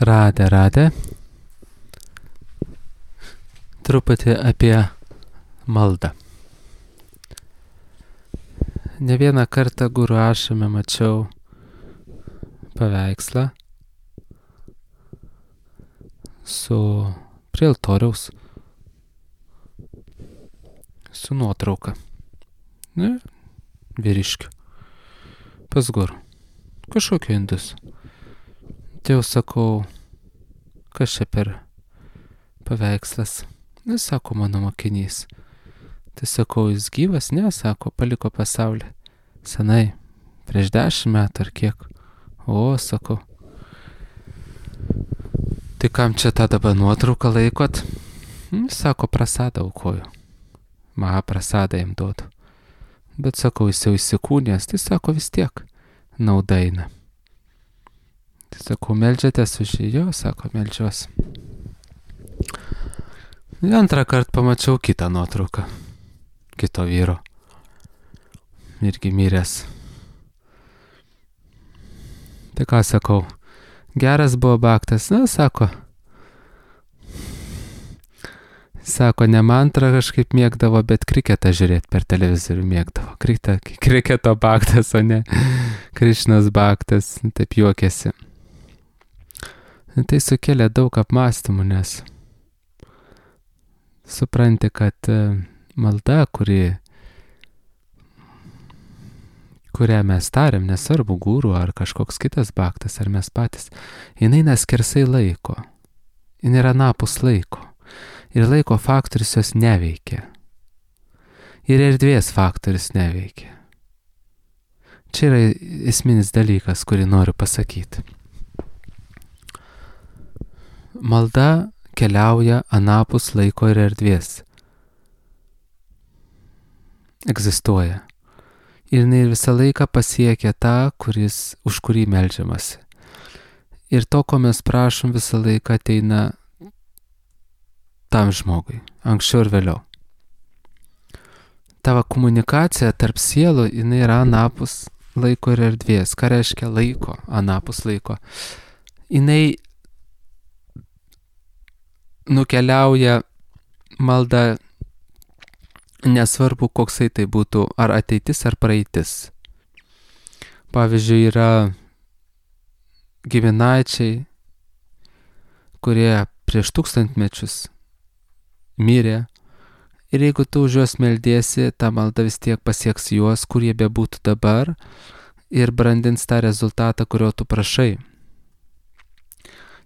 Radę. Truputį apie maldą. Ne vieną kartą Guru Ašrame mačiau paveikslą prie altoriaus su nuotrauka. Vyriškių. Pas Guru. Kažkokio indus. Tai jau sakau, kas čia per paveikslas? Sako, mano mokinys. Tai sakau, jis gyvas? Ne, sako, paliko pasaulį. Senai, prieš 10 metų ar kiek. O, sakau. Tai kam čia tą dabar nuotrauką laikot? Sako, prasadą aukoju. Maha prasadą jam duodu. Bet sakau, jis jau įsikūnės, tai sako, vis tiek nauda eina. Tai sakau, meldžiatės už jį? Jo, sako, meldžiuosi. Antrą kartą pamačiau kitą nuotrauką. Kito vyro. Irgi miręs. Tai ką sakau, geras buvo baktas? Na, sako. Sako, ne mantrą kažkaip mėgdavo, bet kriketą žiūrėti per televizorių mėgdavo. Kriketo baktas, o ne Krišnos baktas. Taip juokėsi. Tai sukėlė daug apmąstymų, nes supranti, kad malda, kurią mes tariam, nesvarbu guru ar kažkoks kitas baktas, ar mes patys, jinai neskersai laiko. Jinai yra anapus laiko. Ir laiko faktorius jos neveikia. Ir erdvės faktorius neveikia. Čia yra esminis dalykas, kurį noriu pasakyti. Malda keliauja anapus laiko ir erdvės. Egzistuoja. Ir jinai visą laiką pasiekia tą, už kurį meldžiamasi. Ir to, ko mes prašom, visą laiką ateina tam žmogui, anksčiau ir vėliau. Tavo komunikacija tarp sielų, jinai yra anapus laiko ir erdvės. Ką reiškia laiko, anapus laiko? Jinai nukeliauja malda, nesvarbu, koksai tai būtų, ar ateitis, ar praeitis. Pavyzdžiui, yra giminaičiai, kurie prieš 1000 mečius mirė, ir jeigu tu už juos meldiesi, ta malda vis tiek pasieks juos, kur jie bebūtų dabar, ir brandins tą rezultatą, kurio tu prašai.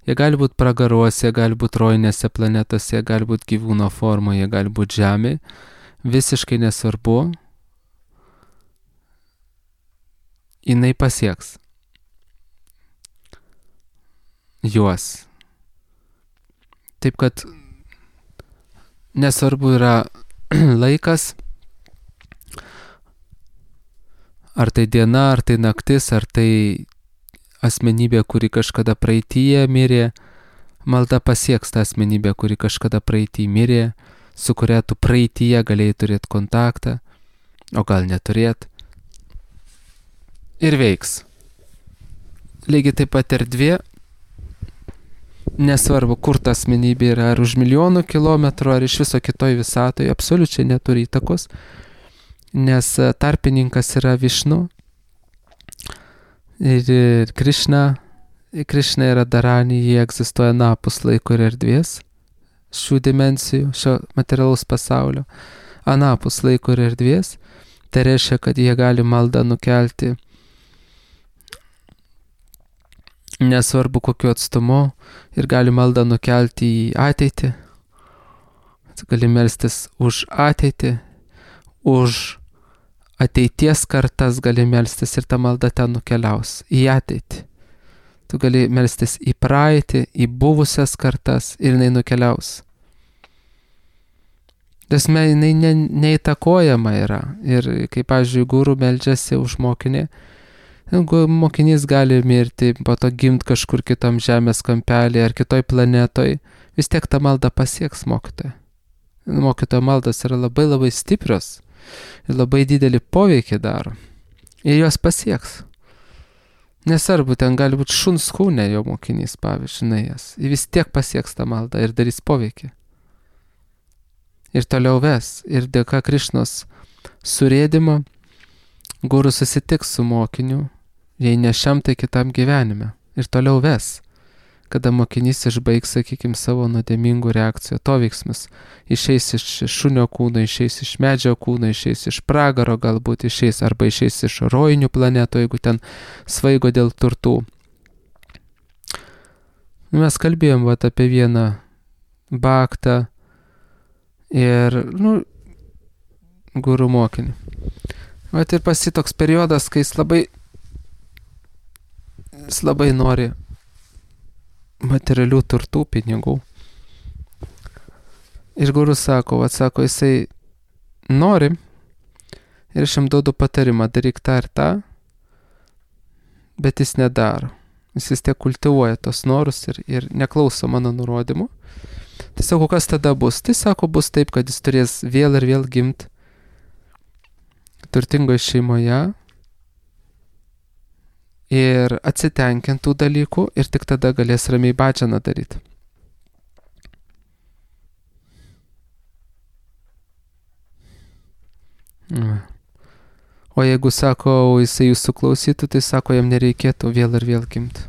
Jie gali būti pragaruose, jie gali būti rojinėse planetose, jie gali būti gyvūno formoje, jie gali būti žemė. Visiškai nesvarbu. Jinai pasieks juos. Taip kad nesvarbu yra laikas, ar tai diena, ar tai naktis, ar tai asmenybė, kuri kažkada praeityje mirė, malda pasieks tą asmenybę, kuri kažkada praeityje mirė, su kuria tu praeityje galėjai turėti kontaktą, o gal neturėti. Ir veiks. Lygiai taip pat erdvė, nesvarbu, kur ta asmenybė yra, ar už milijonų kilometrų, ar iš viso kitoj visatoje, absoliučiai neturi įtakos, nes tarpininkas yra Višnu. Ir Krišna yra Dharani, jie egzistuoja anapus laiko ir erdvės, šių dimensijų, šio materialaus pasaulio, anapus laiko ir erdvės. Tai reiškia, kad jie gali maldą nukelti nesvarbu kokiu atstumu ir gali maldą nukelti į ateitį. Gali melstis už ateitį, už ateities kartas gali melstis ir ta malda ten nukeliaus į ateitį. Tu gali melstis į praeitį, į buvusias kartas ir jinai nukeliaus. Tasme, jinai neįtakojama yra. Ir kaip, pavyzdžiui, guru meldžiasi už mokinį, mokinys gali mirti, po to gimti kažkur kitam žemės kampelį ar kitoj planetoj, vis tiek ta malda pasieks mokytoją. Mokytojo maldas yra labai labai stiprios. Ir labai didelį poveikį daro. Ir jos pasieks. Nesvarbu, ten gali būti šuns kūne jo mokinys, pavyzdžiui, nuėjęs. Jis vis tiek pasieks tą maldą ir darys poveikį. Ir toliau ves. Ir dėka Krišnos surėdimo guru susitiks su mokiniu, jei ne šiam, tai kitam gyvenime. Ir toliau ves. Kada mokinys išbaigs, sakykime, savo nuodėmingų reakcijų atoveiksmus, išeis iš šunio kūno, išeis iš medžio kūno, išeis iš pragaro, galbūt išeis, arba išeis iš rojinių planetų, jeigu ten svaigo dėl turtų. Mes kalbėjom apie vieną baktą ir, guru mokinį. Ir pasi toks periodas, kai jis labai nori materialių turtų, pinigų. Ir gurus sako, jisai nori ir aš jam duodu patarimą, daryk tą ir tą, bet jis nedaro. Jis vis tiek kultivuoja tos norus ir neklauso mano nurodymų. Tai sako, kas tada bus? Tai sako, bus taip, kad jis turės vėl ir vėl gimti turtingoje šeimoje ir atsitenkintų dalykų ir tik tada galės ramiai badžaną daryti. O jeigu, sako, jisai jūsų klausytų, tai sako, jam nereikėtų vėl ir vėl gimti.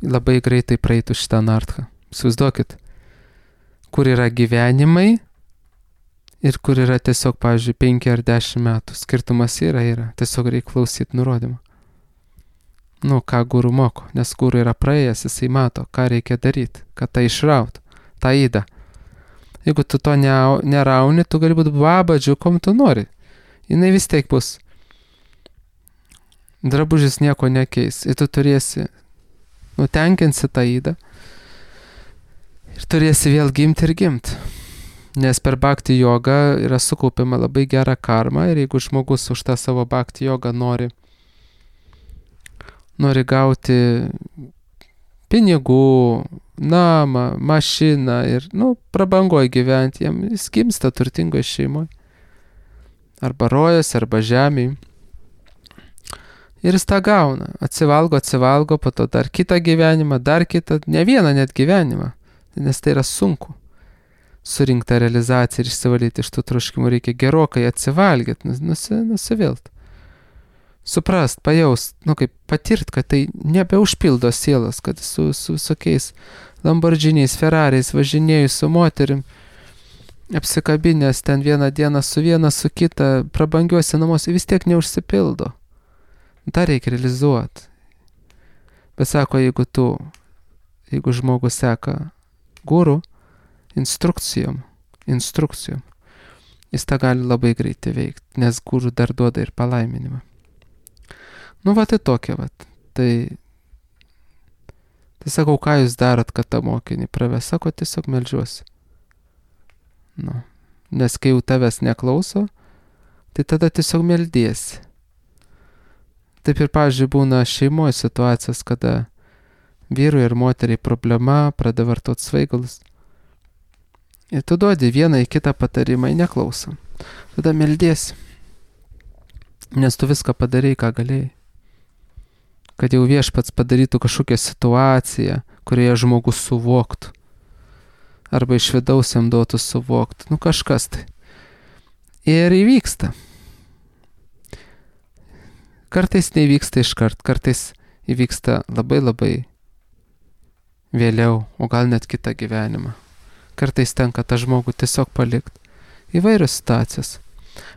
Labai greitai praeitų šitą nartką. Įsivaizduokit, kur yra gyvenimai ir kur yra tiesiog, pavyzdžiui, 5 ar 10 metų. Skirtumas yra. Tiesiog reikia klausyti nurodymą. Ką guru moko, nes guru yra praėjęs, jisai mato, ką reikia daryti, kad tą išraut, tą įdą. Jeigu tu to nerauni, tu gali būti babadžiu, kom tu nori. Jinai vis tiek bus. Drabužis nieko nekeis. Ir tu turėsi, tenkinsi tą įdą ir turėsi vėl gimti ir gimti. Nes per bhakti jogą yra sukaupiama labai gera karma ir jeigu žmogus už tą savo bhakti jogą nori gauti pinigų, namą, mašiną ir, prabangoje gyventi, jis gimsta turtingoje šeimoje. Arba rojas, arba žemėje. Ir jis tą gauna. Atsivalgo, po to dar kitą gyvenimą, dar kitą, ne vieną net gyvenimą. Nes tai yra sunku. Surinkti tą realizaciją ir išsivalyti iš tų troškimų reikia gerokai atsivalgyti, nusivilt. Suprast, pajaust, kaip patirt, kad tai nebeužpildo sielas, kad su visokiais Lamborghiniais, Ferrariais važinėjus su moterim, apsikabinės ten vieną dieną su viena, su kita, prabangiuose namuose, vis tiek neužsipildo. tą reikia realizuoti. Bet sako, jeigu žmogus seka guru instrukcijom, jis tą gali labai greitai veikti, nes guru dar duoda ir palaiminimą. Tai tokia, Tai sakau, ką jūs darot, kad tą mokinį praves? Sako, tiesiog meldžiuosi. Nes kai jau tavęs neklauso, tai tada tiesiog meldiesi. Taip ir, pavyzdžiui, būna šeimoje situacijos, kada vyrui ir moteriai problema, pradeda vartoti svaigalus. Ir tu duodi vieną į kitą patarimą, neklausom. Tada meldiesi. Nes tu viską padarei, ką galėjai. Kad jau viešpats padarytų kažkokią situaciją, kurioje žmogus suvoktų. Arba iš vidaus jam duotų suvokti. Kažkas tai. Ir įvyksta. Kartais neįvyksta iškart, kartais įvyksta labai labai vėliau, o gal net kitą gyvenimą. Kartais tenka tą žmogų tiesiog palikti. Įvairios situacijos.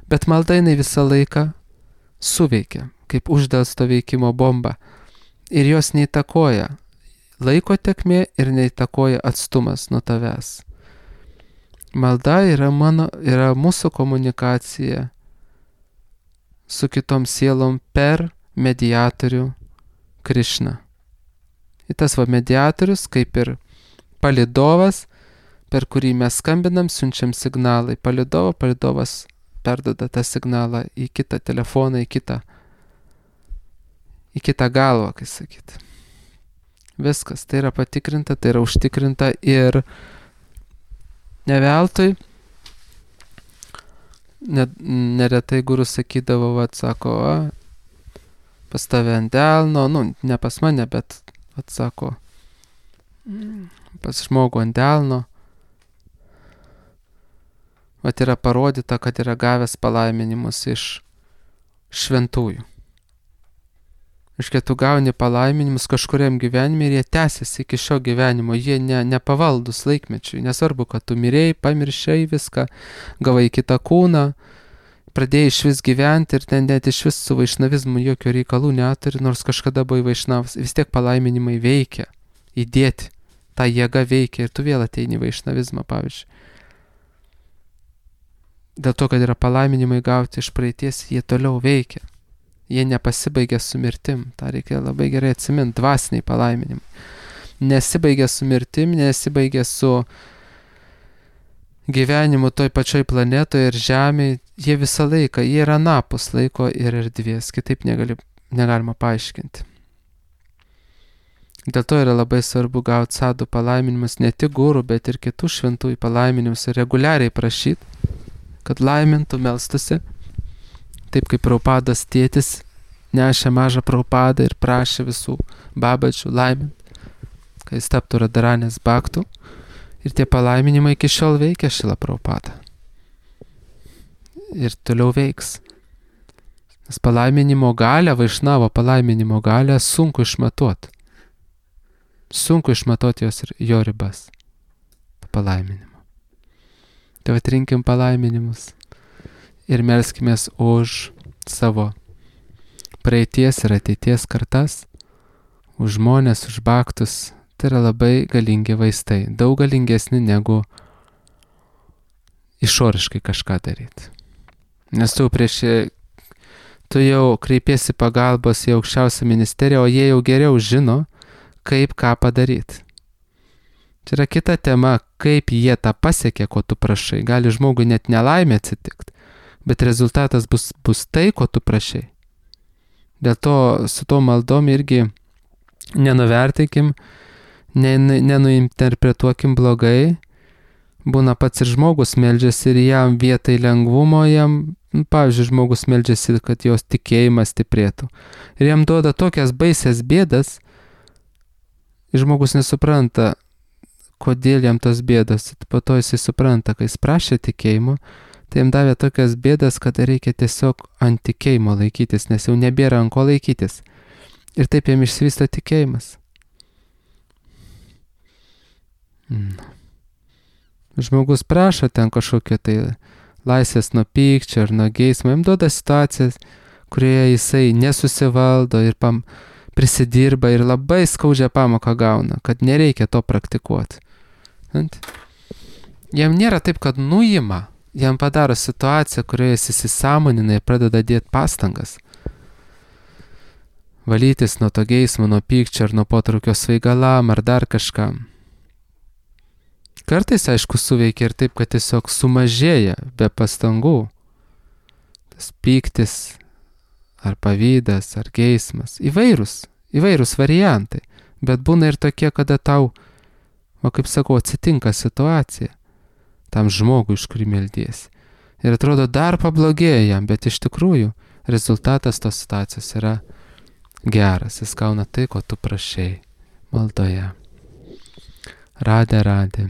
Bet malda jinai visą laiką suveikia, kaip uždelsto veikimo bomba. Ir jos neįtakoja laiko tėkmė ir neįtakoja atstumas nuo tavęs. Malda yra mūsų komunikacija su kitom sielom per mediatorių Krišną. Ir tas mediatorius, kaip ir palydovas, per kurį mes skambinam, siunčiam signalą į palydovą, palydovas perduoda tą signalą į kitą telefoną, į kitą galvą, kaip sakyti. Viskas, tai yra patikrinta, tai yra užtikrinta ir neveltui. Neretai guru sakydavo, sako, pas tave ant delno, ne pas mane, bet, atsako, pas žmogų ant delno, yra parodyta, kad yra gavęs palaiminimus iš šventųjų. Iškia, tu gauni palaiminimus kažkuriam gyvenime ir jie tęsiasi iki šio gyvenimo, jie nepavaldus laikmečiui. Nesvarbu, kad tu mirėjai, pamiršai viską, gavai kitą kūną, pradėjai iš vis gyventi ir ten net iš vis su vaišnavizmu jokio reikalų neturi, nors kažkada buvai vaišnavas, vis tiek palaiminimai veikia, įdėti, ta jėga veikia ir tu vėl ateini į vaišnavizmą, pavyzdžiui. Dėl to, kad yra palaiminimai gauti iš praeities, jie toliau veikia. Jie nepasibaigia su mirtim. Ta reikia labai gerai atsiminti, dvasiniai palaiminimai. Nesibaigia su mirtim, nesibaigia su gyvenimu toj pačioj planetoje ir žemėje. Jie visą laiką, jie yra anapus laiko ir erdvės. Kitaip negalima paaiškinti. Dėl to yra labai svarbu gauti sadų palaiminimus, ne tik gurų, bet ir kitų šventųjų palaiminimus ir reguliariai prašyti, kad laimintų, melstusi. Taip kaip Prabhupados tėtis nešė mažą Prabhupadą ir prašė visų babačių laimint, kad jis taptų Radharanės bhaktų. Ir tie palaiminimai iki šiol veikia Šrila Prabhupada. Ir toliau veiks. Nes palaiminimo galę, vaišnavo palaiminimo galę sunku išmatuoti. Sunku išmatuoti jo ribas. Palaiminimo. Tai atrinkim palaiminimus. Ir melskimės už savo praeities ir ateities kartas, už žmonės, už bhaktus. Tai yra labai galingi vaistai, daug galingesni negu išoriškai kažką daryti. Nes tu jau kreipiesi pagalbos į aukščiausią ministeriją, o jie jau geriau žino, kaip ką padaryti. Čia yra kita tema, kaip jie tą pasiekė, ko tu prašai. Gali žmogui net nelaimė atsitikti. Bet rezultatas bus tai, ko tu prašai. Dėl to su to maldom irgi nenuvertinkim, nenuinterpretuokim blogai. Būna pats ir žmogus meldžiasi ir jam vietai lengvumo, pavyzdžiui, žmogus meldžiasi, kad jos tikėjimas stiprėtų. Ir jam duoda tokias baisias bėdas, ir žmogus nesupranta, kodėl jam tos bėdos. Po to jisai supranta, kai jis prašė tikėjimo, tai jam davė tokias bėdas, kad reikia tiesiog ant tikėjimo laikytis, nes jau nebėra ant ko laikytis. Ir taip jam išsivysto tikėjimas. Žmogus prašo ten kažkokio tai laisvės nuo pykčio ar nuo geismo, jam duoda situacijas, kurioje jisai nesusivaldo ir prisidirba ir labai skaudžią pamoką gauna, kad nereikia to praktikuoti. Jam nėra taip, kad nuima. Jam padaro situaciją, kurioje jis įsisąmonina ir pradeda dėti pastangas. Valytis nuo to geismo, nuo pykčio ar nuo potraukio svaigalam ar dar kažkam. Kartais, aišku, suveikia ir taip, kad tiesiog sumažėja be pastangų. Tas pyktis ar pavydas ar geismas. Įvairūs variantai. Bet būna ir tokie, kada tau, kaip sakau, atsitinka situacija. Tam žmogui, iš kurį meldiesi. Ir atrodo, dar pablogėja jam, bet iš tikrųjų rezultatas tos situacijos yra geras. Jis gauna tai, ko tu prašei maldoje. Radhe, radhe.